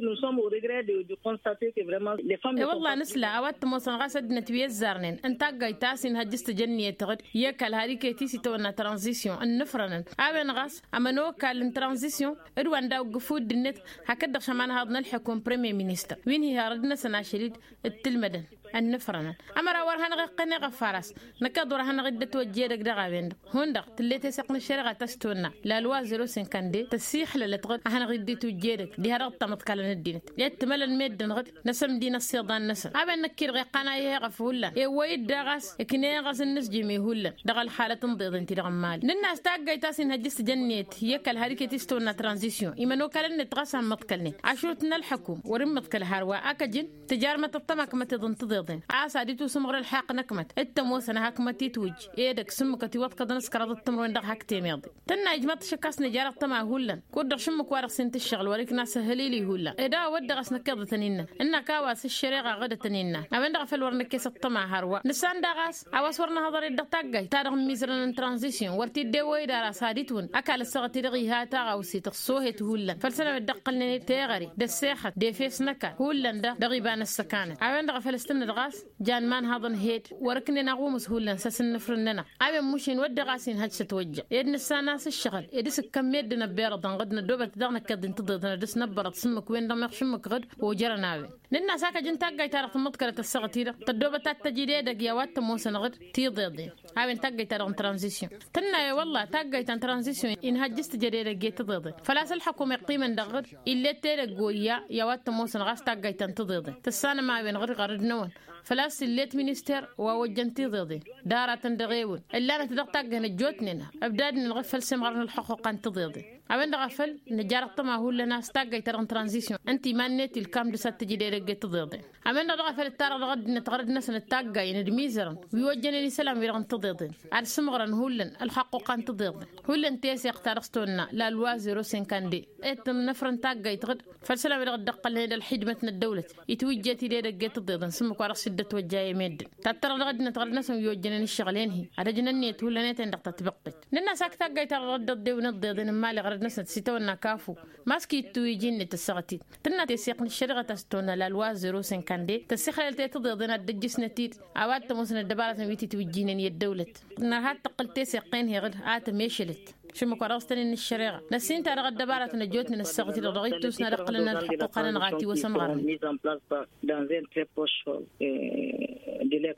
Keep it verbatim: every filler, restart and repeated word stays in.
Nusăm o regret de constater ke vrement lefam. E-wălla nǝsla a-wa t-ămoosăn ɣas ăddinăt wi ăzzarnen n-taggayt ta s-inhăjjǝs tǝjănniyăt tăɣ-dd i-ăkall har iket-i s-itawănna tranzisyon ǝnnǝfrănăn a-wen ɣas ămănokal n-tranzisyon d-wa n-daw-ǝggǝfu dd-net. Hakd-dăɣ šămanhaḍ n-ălḥăkum premier ministăr wi n-hi-harăd-năsăn ašăl-dd d-tǝlmădăn ănnǝfrănăn ămăra wăr hanăɣ-iqqăn eɣăf ar-as. Năkkeḍ wăr hanăɣ-dd-ătwăjja edăgg dăɣ-a-wen-dăɣ hundăɣ tǝllet eseɣt n-ăššăreɣa ta s-tonna lalwa zero sinkande tăssixlălăt ɣǝd ad-hanăɣ-dd-itwǝjja edăgg diha dăɣ-tamăḍkalăn ăddinăt i-ad-tǝmălăn meddǝn ɣǝd n-asămdi n-ăssiḍan-năsăn. A-wen năkk-i-dăɣ iqqan a ih'-eɣăf hullan ewwăy-dd daɣ a-s ǝknen ɣas n-inǝzjǝm ihullan dăɣ-ălxalăt n-iḍeḍen-ti-dăɣ n-imali. Nǝnn'-as taggayt a-s inhăjjǝs tǝjănniyăt i-ăkall har iket-i s-tawănna tranzisyon imănokalăn-net ɣas a ǝmmăḍkălnen ašrut n-ălḥăkum wăr-ǝmmăḍkăl hărwa a kăjǝn tǝjarmăt ăṭṭăma akmăteḍ n-tiḍeḍen a-s ad-itusǝmɣăr ălxaqq n-akmăt d-tămoosăn a hakmăt-itwǝjj edăgg s-ǝmmǝkăt iwăḍkăḍăn s-kăraḍăt timǝrwen dăɣ-hak temeḍe. Tǝnna ijmaḍ-t šăkk a-s nǝjar ăṭṭăma hullan kud-dăɣ šǝmmǝk-wa-dăɣ s-intǝššăɣǝl wăr-ikna s-ăhălil ihullan ed a-wa wădden ɣas năkkeḍ a tăn-innăn ǝnnăk a-wa s-ăššăreɣa ɣǝd a tăn-innăn. A-wen-dăɣ a făl wăr năkkes ăṭṭăma hărwa nǝssan daɣ a-s a-wa s-wăr năhăḍăr-dd dăɣ-taggayt-ta-dăɣ n-imizărăn n-tranzisyon wăr t-dd-ewăy d-ara s-ad-itwǝn ăkall ăssaɣăt-i-dăɣ iha taɣawse tăṣṣohet hullan făll-sănăwet dd-ăqqălnen teɣăre d-ăssexăt d-efes n-ăkall hullan-dăɣ dăɣ-iba n-ăssăkanăt. A-wen-dăɣ a făl s-tǝnnă dăɣ-a-s jan imanhaḍăn hed wăr-ǝknen aɣumǝs hullan s-asǝnnǝfrǝn-nănăɣ. A-wen mušin wădden ɣas inhăj s-ătwăjja ed nǝssan a-s ǝššăɣǝl ed s-ǝkkăn meddǝn ăbbirăḍăn ɣǝd năddoobăt daɣ năkkeḍ-i n-tiḍeḍen ad-dăɣ-s năbbărăḍ s-ǝmmǝk wen-dăɣ meɣ šǝmmǝk ɣǝd ojărăn a-wen. Nǝnn'-as a kăjǝn taggayt-ta-dăɣ tǝmmǝḍkălăt ăssaɣăt-i-dăɣ tăddoobăt ad-t-tăj ed edăgg i-a-wa t-ămoosăn ɣǝd tiḍeḍen. A-wen taggayt-ta-dăɣ n-tranzisyon tǝnna e-wălla taggayt ta n-tranzisyon inhăjjǝs tǝjăd edăgg i-tiḍeḍen făl-a-s ălḥăkum iqqimăn dăɣ-ɣǝd. Illet edăgg oyya i-a-wa t-ămoosăn ɣas taggayt ta n-tiḍeḍen tǝssanăm a-wen ɣǝd ɣărăd-năwăn făl-a-s illet minister wa ojjăn tiḍeḍen d-aratăn dăɣ-ewǝn ǝllanăt dăɣ-taggăyăn ăjjootnen ăbdadnen ɣǝd făll-semɣărăn ălxuquqa n-tiḍeḍen. A-wen-dăɣ a făl nǝjar ăṭṭăma hullan a-s taggayt-ta-dăɣ n-tranzisyon ǝnta iman-net ilkam dăr-s ad-tǝjǝd edăgg i-tiḍeḍen. A-wen-dăɣ daɣ a făl ǝttarăɣ dăɣ-ăddinăt ɣărăd-năsăn d-taggayăn d-imizărăn wi ojjănen isălan-wi-dăɣ n-tiḍeḍen ad-sǝmɣărăn hullan ălxaqqu ɣan tiḍeḍen hullan teseɣt ta dăɣ-s tonna lalwa zero sinkande. Ed tǝnnăfrăn taggayt ɣǝd făll-isălan-wi-dăɣ dd-ăqqălnen d-ălxidmăt n-ăddăwlăt itwǝjjet-dd edăgg i-tiḍeḍen s-ǝmmǝk wa dăɣ-s dd-ătwăjja i-meddǝn. Tattărăɣ dăɣ-ăddinăt ɣărăd-năsăn wi ojjănen ǝššăɣǝl-en-hi ad-ăjnăn ǝnniyăt hullan i-ten-dăɣ ta tibăqqet. Nǝnn'-as ak taggayt-ta-dăɣ dd-ăḍḍewăn iḍeḍen n-imali ɣărăd-năsnăt s-itawănna kafu. Maski ittu iji-net ăssaɣăt-dd tǝnna teseɣt n-ăššăreɣăt a-s tona lalwa zero sinkande tăssixlălăt i-tiḍeḍen ad-dd-ăjjǝsnăt-dd. A-wa t-ămoosăn ăddăbarătăn wi titwǝjjinen i-ăddăwlăt nărha ad-tăqqǝl teseɣt-en-hi ɣǝd a tămešălăt šǝmmǝk wa dăɣ-s tăn-in ăššăreɣa. Năssinta dăɣ-ăddăbarătăn ăjjootnen ăssaɣăt-i-dăɣ dăɣ-ittusna d-ǝqqǝlăn ălxuqq-anăn ɣati wăr sămɣărnen. Dans un très proche. Dăɣ-ăddăbarătăn ăjjootnen ăssaɣăt-i-dăɣ dăɣ-ittusna d-ǝqqǝlăn ălxuqq-anăn ɣati wăr sămɣărnen.